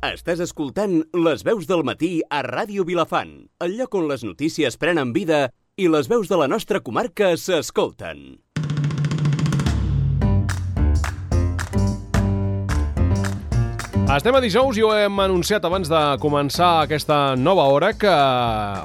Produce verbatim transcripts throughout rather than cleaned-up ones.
Estàs escoltant Les veus del matí a Ràdio Vilafant, el lloc on les notícies prenen vida i les veus de la nostra comarca s'escolten. Estem a dijous i ho hem anunciat abans de començar aquesta nova hora que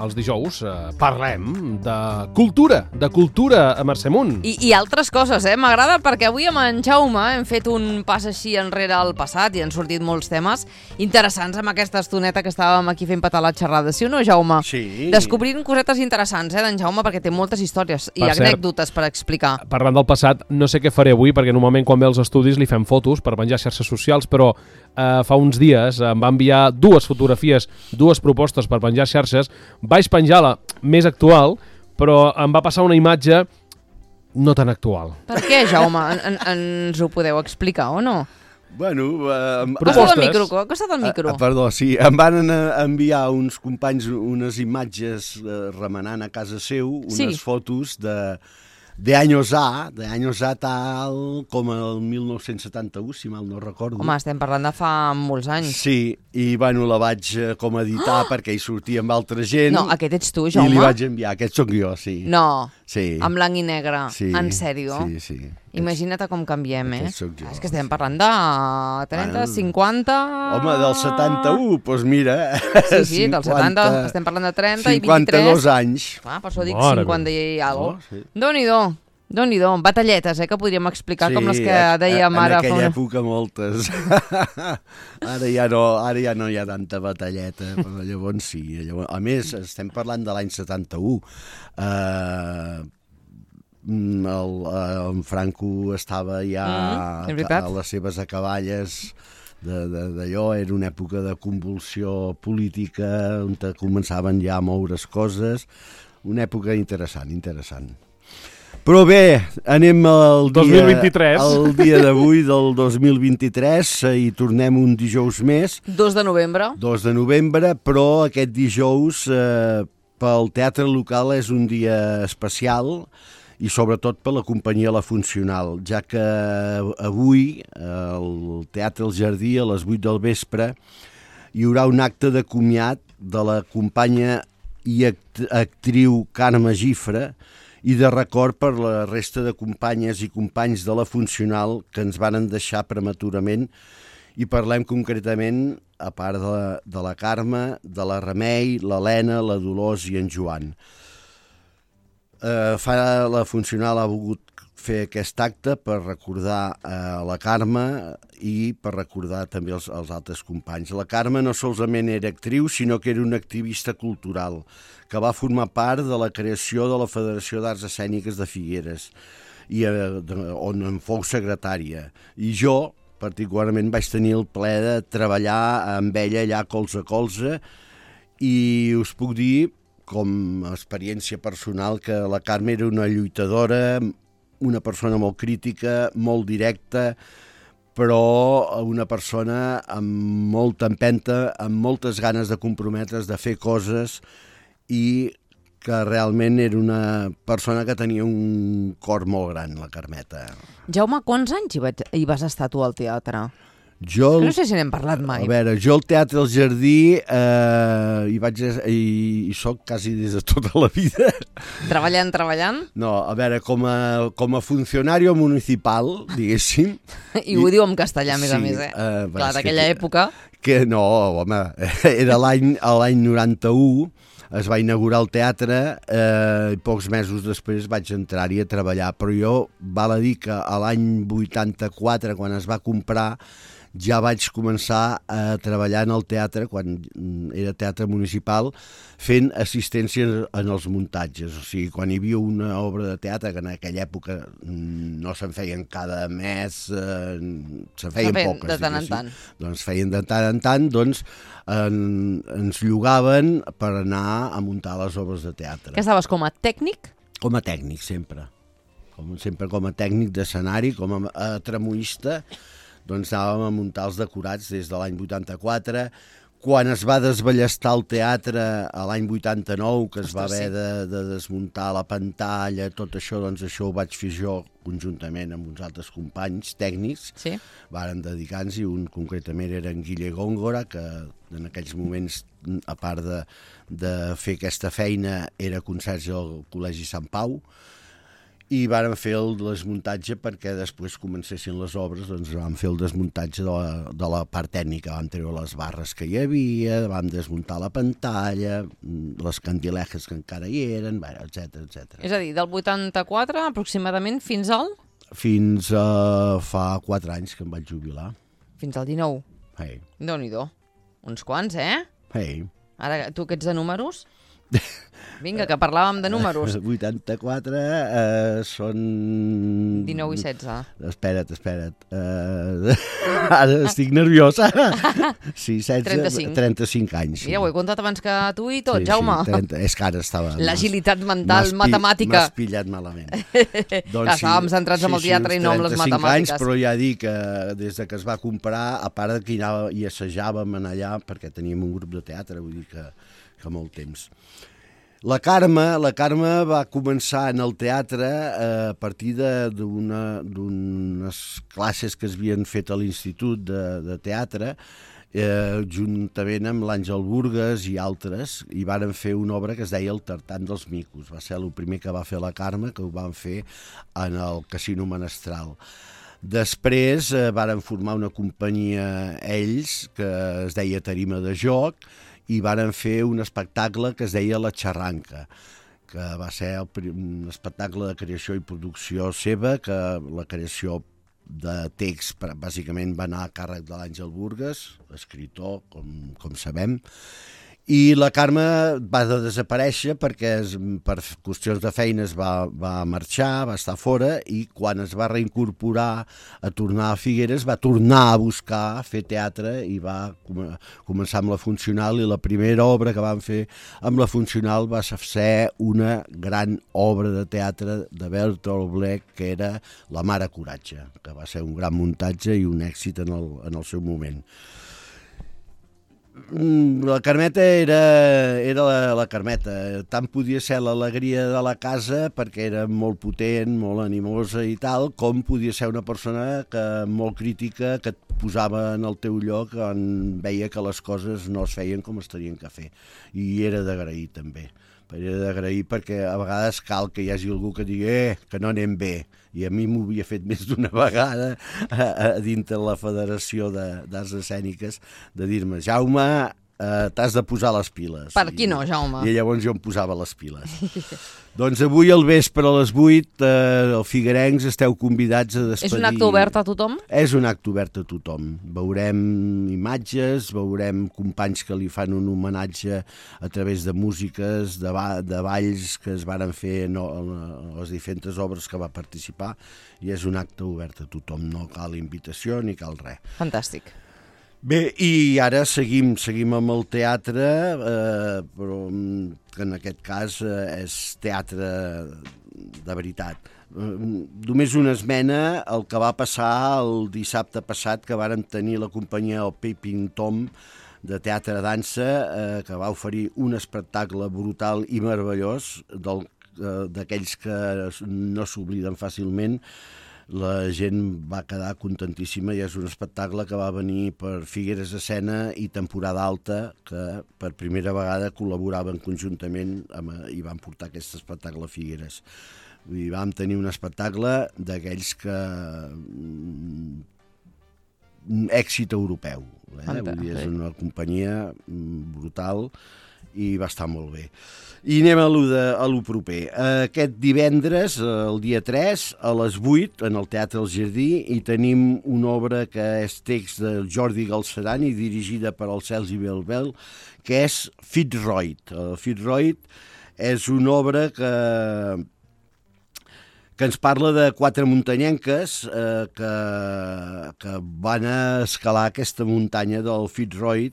els dijous eh, parlem de cultura, de cultura a Mercè Munt. I, I altres coses, eh? M'agrada perquè avui amb en Jaume hem fet un pas així enrere al passat i han sortit molts temes interessants amb aquesta estoneta que estàvem aquí fent petar la xerrada. Sí o no, Jaume? Sí. Descobrint cosetes interessants, eh, d'en Jaume, perquè té moltes històries i Per anècdotes cert, per explicar. Parlant del passat, no sé què faré avui, perquè normalment quan ve als estudis li fem fotos per penjar a xarxes socials, però eh, fa uns dies em va enviar dues fotografies, dues propostes per penjar xarxes. Vaig penjar la més actual, però em va passar una imatge no tan actual. Per què, Jaume? En, en, ens ho podeu explicar o no? Bueno, eh, Costa't el micro, costa't el micro. Eh, perdó, sí, em van enviar uns companys unes imatges eh, remenant a casa seu, unes Sí. fotos de, de años A, de años A tal com el mil nou-cents setanta-u, si mal no recordo. Home, estem parlant de fa molts anys. Sí, i bueno, la vaig eh, com editar perquè hi sortia amb altra gent. No, aquest ets tu, I Jaume? li vaig enviar, aquest sóc jo, sí. No, Sí. en blanc i negre, Sí, en sèrio? Sí, sí. Imagina't com canviem, eh? Aquest sóc jo. És que estem parlant de trenta, Bueno, cinquanta... Home, del setanta-u, doncs mira... Sí, sí, del setanta, estem parlant de trenta i vint-i-tres. cinquanta-dos anys. Ah, per això dic Mare cinquanta i alguna Oh, cosa. sí. Déu-n'hi-do, déu-n'hi-do, batalletes, eh, que podríem explicar com les que eh, dèiem en ara. aquella fa una- època moltes. ara, ja no, ara ja no hi ha tanta batalleta, però llavors sí. Llavors, a més, estem parlant de l'any setanta-u. Eh, el, eh, en Franco estava ja Mm, és veritat. a les seves acaballes de- de- d'allò, era una època de convulsió política on te començaven ja a moure's coses, una època interessant, interessant. Però bé, anem al dia, dos mil vint-i-tres. al dia d'avui del dos mil vint-i-tres i tornem un dijous més, dos de novembre. dos de novembre, però aquest dijous eh, pel teatre local és un dia especial i sobretot per la companyia La Funcional, ja que avui al Teatre El Jardí a les vuit del vespre hi haurà un acte de comiat de la companya i act actriu Carme Gifra i de record per la resta de companyes i companys de La Funcional que ens varen deixar prematurament, i parlem concretament, a part de la, de la Carme, de la Remei, l'Helena, la Dolors i en Joan. Eh, fa La Funcional ha volgut fer aquest acte per recordar eh, la Carme i per recordar també els, els altres companys. La Carme no solament era actriu, sinó que era una activista cultural que va formar part de la creació de la Federació d'Arts Escèniques de Figueres, i, eh, de, on en fou secretària. I jo, particularment, vaig tenir el plaer de treballar amb ella allà colze a colze, i us puc dir, com a experiència personal, que la Carme era una lluitadora, una persona molt crítica, molt directa, però una persona amb molta empenta, amb moltes ganes de comprometre's, de fer coses, i que realment era una persona que tenia un cor molt gran, la Carmeta. Jaume, quants anys hi, vaig, hi vas estar tu al teatre? Jo, No sé si n'hem parlat mai. a veure, jo al Teatre El Jardí eh, hi vaig i, i soc quasi des de tota la vida. Treballant, treballant? No, a veure, com a, com a funcionario municipal, diguéssim. I ho diu en castellà, a més Sí, a més, eh? eh, Clar, és d'aquella que- època... Que no, home, era l'any a l'any noranta-u, es va inaugurar el teatre, eh, i pocs mesos després vaig entrar-hi a treballar, però jo val a dir que a l'any vuitanta-quatre, quan es va comprar, ja vaig començar a treballar en el teatre, quan era teatre municipal, fent assistència en els muntatges. O sigui, quan hi havia una obra de teatre, que en aquella època no se'n feien cada mes, eh, se'n feien feien poques. de tant en diguéssim. tant. Doncs feien de tant en tant, doncs en, ens llogaven per anar a muntar les obres de teatre. Que estaves com a tècnic? Com a tècnic, sempre. Com, sempre com a tècnic d'escenari, com a, a tramoista, doncs anàvem a muntar els decorats des de l'any vuitanta-quatre, Quan es va desballestar el teatre a l'any vuitanta-nou, que es va Ostres, haver sí. de, de desmuntar la pantalla, tot això, doncs això ho vaig fer jo conjuntament amb uns altres companys tècnics. Sí. Varen dedicar-nos-hi, un concretament era en Guille Góngora, que en aquells moments, a part de, de fer aquesta feina, era conserge al Col·legi Sant Pau, i varen fer el desmuntatge perquè després comencessin les obres, doncs vam fer el desmuntatge de la, de la part tècnica, vam treure les barres que hi havia, vam desmuntar la pantalla, les candilejes que encara hi eren, etcètera, etcètera. És a dir, del vuitanta-quatre aproximadament fins al... Fins a fa quatre anys que em vaig jubilar. Fins al dinou. Hey, Déu-n'hi-do. Uns quants, eh? hey. Ara, tu que ets de números? Vinga, que parlàvem de números. vuitanta-quatre eh, són... dinou i setze. Espera't, espera't. Uh, ara estic nerviosa. Sí, setze, trenta-cinc. trenta-cinc anys. Sí. Mira, ho he comptat abans que tu i tot, sí, Jaume. Sí, trenta, és que ara estava... L'agilitat mental, m'has pi- matemàtica. M'has pillat malament. Clar, estàvem centrats en el teatre i no amb les trenta-cinc matemàtiques. anys, però ja dic que des de que es va comprar, a part de que hi anava i assajàvem en allà, perquè teníem un grup de teatre, vull dir que, que molt temps. La Carme, la Carme va començar en el teatre eh, a partir d'unes classes que es havien fet a l'Institut de, de Teatre, eh, juntament amb l'Àngel Burgues i altres, i varen fer una obra que es deia El tartan dels micos. Va ser el primer que va fer la Carme, que ho van fer en el Casino Menestral. Després eh, varen formar una companyia ells, que es deia Tarima de Joc, i varen fer un espectacle que es deia La Xarranca, que va ser el, un espectacle de creació i producció seva, que la creació de text bàsicament va anar a càrrec de l'Àngel Burgues, escriptor, com, com sabem, i la Carme va de desaparèixer perquè es, per qüestions de feina es va, va marxar, va estar fora, i quan es va reincorporar a tornar a Figueres va tornar a buscar fer teatre i va com, començar amb la Funcional, i la primera obra que van fer amb la Funcional va ser una gran obra de teatre de Bertolt Brecht, que era La mare coratge, que va ser un gran muntatge i un èxit en el, en el seu moment. La Carmeta era, era la, la Carmeta, tant podia ser l'alegria de la casa perquè era molt potent, molt animosa i tal, com podia ser una persona que molt crítica, que et posava en el teu lloc quan veia que les coses no es feien com es tenien que fer, i era d'agrair també. Era d'agrair perquè a vegades cal que hi hagi algú que digui eh, que no anem bé, i a mi m'ho havia fet més d'una vegada a, a dintre la Federació d'Arts Escèniques, de dir-me, Jaume, eh, t'has de posar les piles. Per qui no, Jaume? I, i llavors jo em posava les piles. Doncs avui al vespre a les vuit, eh, al Figuerencs, esteu convidats a despedir... És un acte obert a tothom? És un acte obert a tothom. Veurem imatges, veurem companys que li fan un homenatge a través de músiques, de, ba de balls que es varen fer no, a les diferents obres que va participar, i és un acte obert a tothom. No cal invitació ni cal res. Fantàstic. Bé, i ara seguim, seguim amb el teatre, eh, però que en aquest cas eh, és teatre de veritat. Eh, només una esmena el que va passar el dissabte passat, que vàrem tenir la companyia El Peeping Tom de teatre dansa, eh, que va oferir un espectacle brutal i meravellós, d'aquells que no s'obliden fàcilment. La gent va quedar contentíssima, i és un espectacle que va venir per Figueres Escena i Temporada Alta, que per primera vegada col·laboraven conjuntament amb, i van portar aquest espectacle a Figueres. I vam tenir un espectacle d'aquells que... èxit europeu. Eh? Vull dir, és una companyia brutal i va estar molt bé. I anem a lo, de, a lo proper. Aquest divendres, el dia tres, a les vuit, en el Teatre El Jardí, hi tenim una obra que és text de Jordi Galceran i dirigida per el Sergi Belbel, que és Fitzroy. Fitzroy és una obra que que ens parla de quatre muntanyenques eh, que, que van a escalar aquesta muntanya del Fitzroy,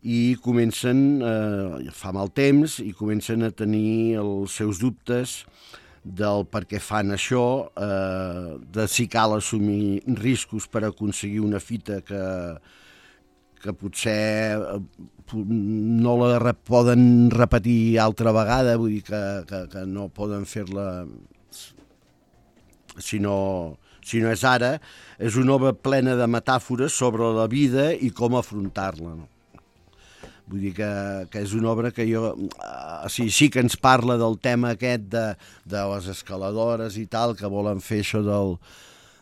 i comencen, eh, fa mal temps, i comencen a tenir els seus dubtes del per què fan això, eh, de si cal assumir riscos per aconseguir una fita que, que potser no la re poden repetir altra vegada, vull dir que, que, que no poden fer-la si no, si no és ara. És una obra plena de metàfores sobre la vida i com afrontar-la, no? Vull dir que, que és una obra que jo... Uh, sí, sí que ens parla del tema aquest de, de les escaladores i tal, que volen fer això del,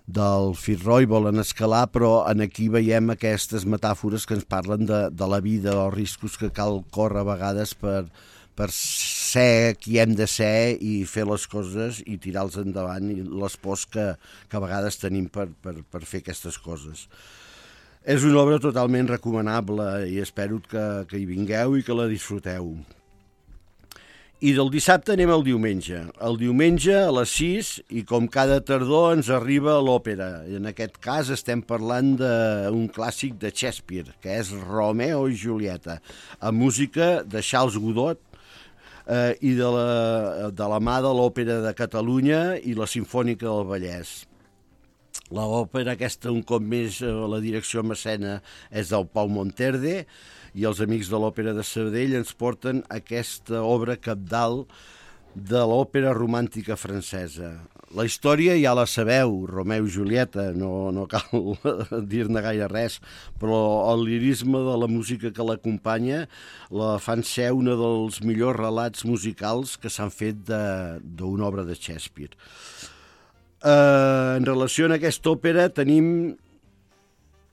del Fitzroy, volen escalar, però en aquí veiem aquestes metàfores que ens parlen de, de la vida, els riscos que cal córrer a vegades per, per ser qui hem de ser i fer les coses i tirar-los endavant, i les pors que, que a vegades tenim per, per, per fer aquestes coses. És una obra totalment recomanable i espero que, que hi vingueu i que la disfruteu. I del dissabte anem al diumenge. El diumenge a les sis, i com cada tardor ens arriba l'òpera. En aquest cas estem parlant d'un clàssic de Shakespeare, que és Romeo i Julieta, amb música de Charles Godot eh, i de la, de la mà de l'Òpera de Catalunya i la Simfònica del Vallès. L'òpera aquesta, un cop més, la direcció en escena és del Pau Monterde, i els amics de l'Òpera de Sabadell ens porten aquesta obra cabdal de l'òpera romàntica francesa. La història ja la sabeu, Romeu i Julieta, no, no cal dir-ne gaire res, però el lirisme de la música que l'acompanya la fan ser un dels millors relats musicals que s'han fet d'una obra de Shakespeare. Uh, en relació a aquesta òpera tenim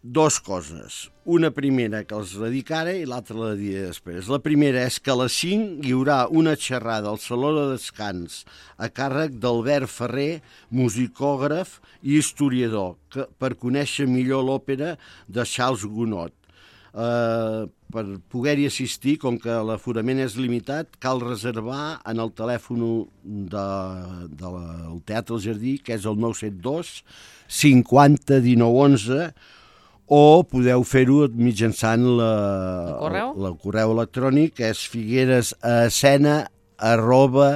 dos coses. Una primera que els la dic ara i l'altra la diré després. La primera és que a les cinc hi haurà una xerrada al Saló de Descans a càrrec d'Albert Ferrer, musicògraf i historiador, que, per conèixer millor l'òpera de Charles Gounod. Uh, per poder-hi assistir, com que l'aforament és limitat, cal reservar en el telèfon de, de la, del Teatre El Jardí, que és el nou set dos cinquanta dinou onze, o podeu fer-ho mitjançant la, el correu? El, el correu electrònic, que és figueresescena arroba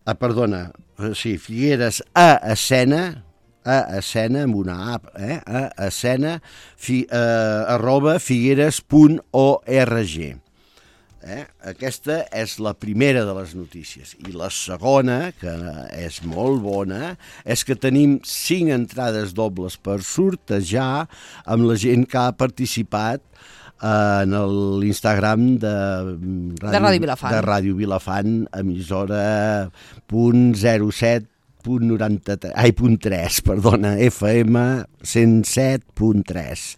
ah, perdona, sí, figueres a escena a escena, amb una A, eh? a escena, fi, eh, arroba figueres punt org. Eh? Aquesta és la primera de les notícies. I la segona, que és molt bona, és que tenim cinc entrades dobles per sortejar amb la gent que ha participat en l'Instagram de, de Ràdio Vilafant, de Ràdio Vilafant, emissora punt zero set punt noranta-tres, ai, punt tres, perdona, F M cent set punt tres.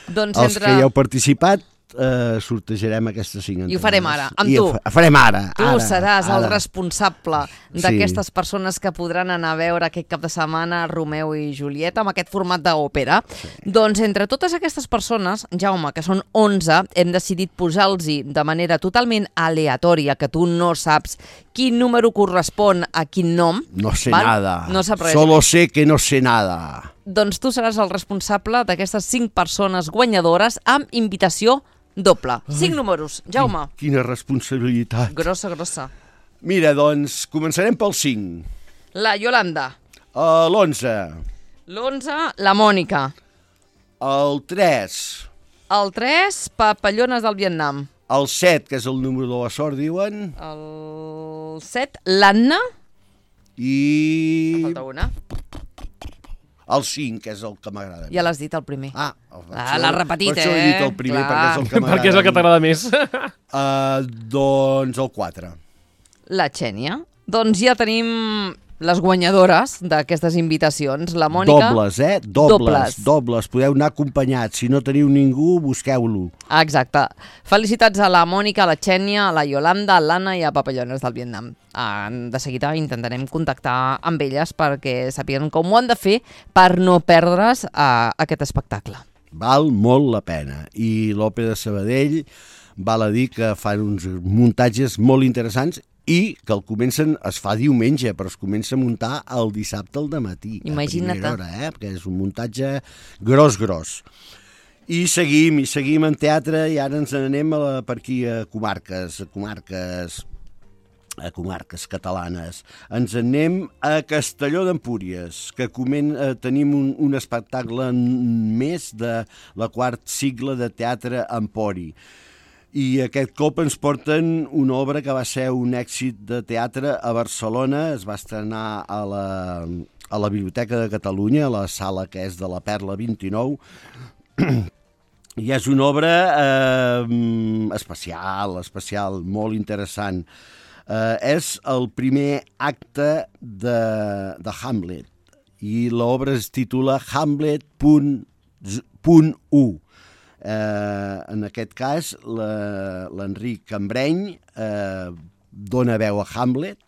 Doncs Els entre... que hi heu participat, eh, sortejarem aquestes cinc entrades. I ho farem ara, amb I tu. Ho farem ara. Tu ara, seràs ara. el responsable d'aquestes sí. persones que podran anar a veure aquest cap de setmana Romeu i Julieta amb aquest format d'òpera. Sí. Doncs entre totes aquestes persones, Jaume, que són onze, hem decidit posar-los de manera totalment aleatòria, que tu no saps quin número correspon a quin nom. No sé val? nada. No sap res. Solo sé que no sé nada. Doncs tu seràs el responsable d'aquestes cinc persones guanyadores amb invitació doble. Ai, cinc números. Jaume. Quina responsabilitat. Grossa, grossa. Mira, doncs, començarem pel cinc. La Yolanda. Uh, l'onze. L'onze, la Mònica. El tres. El tres, Papallones del Vietnam. El set, que és el número de la sort, diuen. El set, l'Anna. I... Falta una. El cinc, que és el que m'agrada. Ja l'has dit, el primer. Ah, ah l'has repetit, per això he dit el primer, eh? perquè és el que m'agrada. Perquè és el que t'agrada més. Uh, doncs el quatre. La Xènia. Doncs ja tenim les guanyadores d'aquestes invitacions. La Mònica... Dobles, eh? Dobles, dobles. dobles. Podeu anar acompanyats. Si no teniu ningú, busqueu-lo. Exacte. Felicitats a la Mònica, a la Xènia, a la Yolanda, a l'Anna i a Papallones del Vietnam. De seguida intentarem contactar amb elles perquè sàpiguen com ho han de fer per no perdre's a aquest espectacle. Val molt la pena. I l'Òpera de Sabadell val a dir que fan uns muntatges molt interessants i que el comencen, es fa diumenge, però es comença a muntar el dissabte al dematí. Imagina't. A primera hora, eh? Perquè és un muntatge gros, gros. I seguim, i seguim en teatre, i ara ens n'anem a la, per aquí a comarques, a comarques. a comarques catalanes. Ens en anem a Castelló d'Empúries, que comen, eh, tenim un, un espectacle més de la quart cicle de teatre Empori. I aquest cop ens porten una obra que va ser un èxit de teatre a Barcelona, es va estrenar a la, a la Biblioteca de Catalunya, a la sala que és de la Perla vint-i-nou, i és una obra eh, especial, especial, molt interessant. Eh, és el primer acte de, de Hamlet, i l'obra es titula Hamlet punt u. Eh, en aquest cas, l'Enric Cambreny eh, dona veu a Hamlet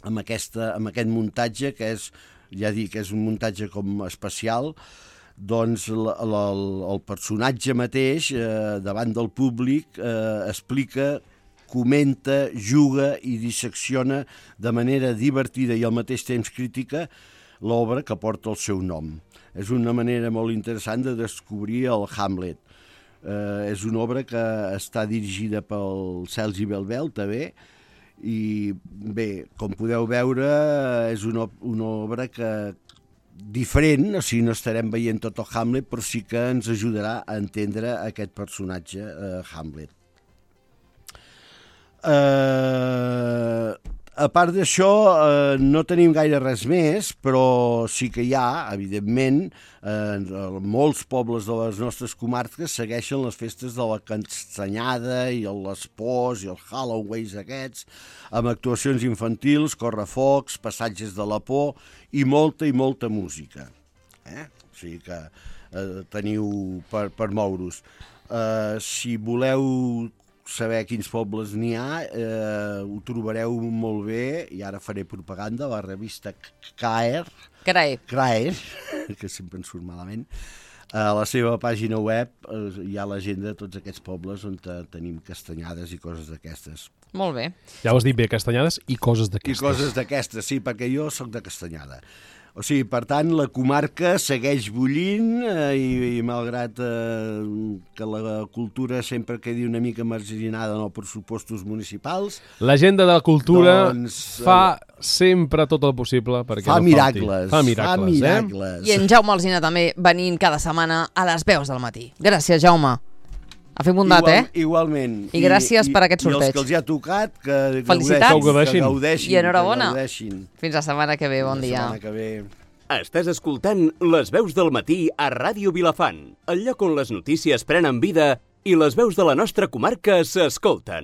amb, aquesta, amb aquest muntatge, que és, ja dic, és un muntatge com especial. Doncs el, el, el personatge mateix, eh, davant del públic, eh, explica, comenta, juga i dissecciona de manera divertida i al mateix temps crítica l'obra que porta el seu nom. És una manera molt interessant de descobrir el Hamlet. Eh, és una obra que està dirigida pel Sergi Belbel, també, i bé, com podeu veure, és una, una obra que diferent, o sigui, no estarem veient tot el Hamlet, però sí que ens ajudarà a entendre aquest personatge, eh, Hamlet. Eh, a part d'això, eh, no tenim gaire res més, però sí que hi ha, evidentment, eh, molts pobles de les nostres comarques segueixen les festes de la Castanyada i les Pors i els Halloweens aquests, amb actuacions infantils, correfocs, passatges de la por i molta i molta música. Eh? O sigui que eh, teniu per, per moure-us. Eh, si voleu saber quins pobles n'hi ha, eh, ho trobareu molt bé, i ara faré propaganda, la revista Caer, Carai. Caer, que sempre em surt malament, a la seva pàgina web eh, hi ha l'agenda de tots aquests pobles on tenim castanyades i coses d'aquestes. Molt bé. Ja ho has dit bé, castanyades i coses d'aquestes. I coses d'aquestes, sí, perquè jo sóc de Castanyada. O sigui, per tant, la comarca segueix bullint eh, i, i malgrat eh, que la cultura sempre quedi una mica marginada en els pressupostos municipals... L'agenda de la cultura doncs, fa sempre tot el possible perquè fa no miracles, falti. Fa miracles. Fa miracles. I en Jaume Alsina també venint cada setmana a les veus del matí. Gràcies, Jaume. Ha fet bondat, Igual, eh? Igualment. I gràcies per aquest sorteig. I els que els hi ha tocat, que Felicitats. Que ho gaudeixin. Que gaudeixin. I enhorabona. Que gaudeixin. Fins la setmana que ve, bon dia. La setmana que ve. Estàs escoltant Les veus del matí a Ràdio Vilafant, el lloc on les notícies prenen vida i les veus de la nostra comarca s'escolten.